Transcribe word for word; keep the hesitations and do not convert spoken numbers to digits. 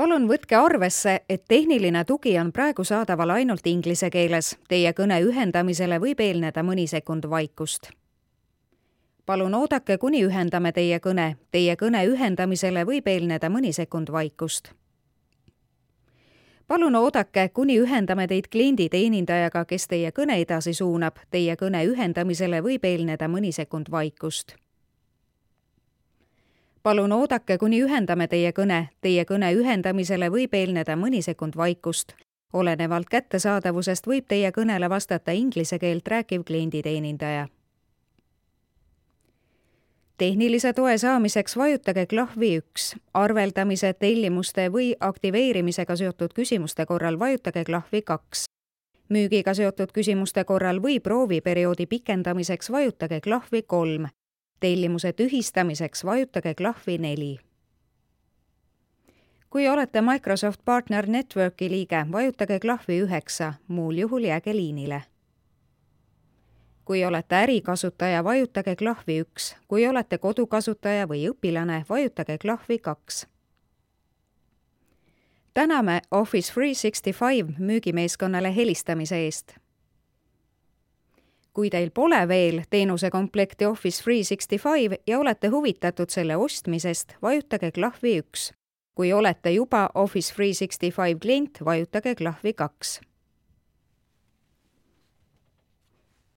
Palun võtke arvesse, et tehniline tugi on praegu saadaval ainult inglise keeles. Teie kõne ühendamisele võib eelneda mõni sekund vaikust. Palun oodake, kuni ühendame teie kõne. Teie kõne ühendamisele võib eelneda mõni sekund vaikust. Palun oodake, kuni ühendame teid kliendi teenindajaga, kes teie kõne edasi suunab. Teie kõne ühendamisele võib eelneda mõni sekund vaikust. Palun oodake, kuni ühendame teie kõne. Teie kõne ühendamisele võib eelneda mõni sekund vaikust. Olenevalt kättesaadavusest võib teie kõnele vastata inglise keelt rääkiv klienditeenindaja. Tehnilise toe saamiseks vajutage klahvi üks. Arveldamise, tellimuste või aktiveerimisega seotud küsimuste korral vajutage klahvi kaks. Müügiga seotud küsimuste korral või prooviperioodi pikendamiseks vajutage klahvi kolm. Tellimuse tühistamiseks vajutage klahvi neli. Kui olete Microsoft Partner Networki liige, vajutage klahvi üheksa, muul juhul jääge liinile. Kui olete ärikasutaja, vajutage klahvi üks. Kui olete kodukasutaja või õpilane, vajutage klahvi kaks. Täname Office kolmsada kuuskümmend viis müügimeeskonnale helistamise eest. Kui teil pole veel teenusekomplekti Office kolmsada kuuskümmend viis ja olete huvitatud selle ostmisest, vajutage klahvi üks. Kui olete juba Office kolmsada kuuskümmend viis klient, vajutage klahvi kaks.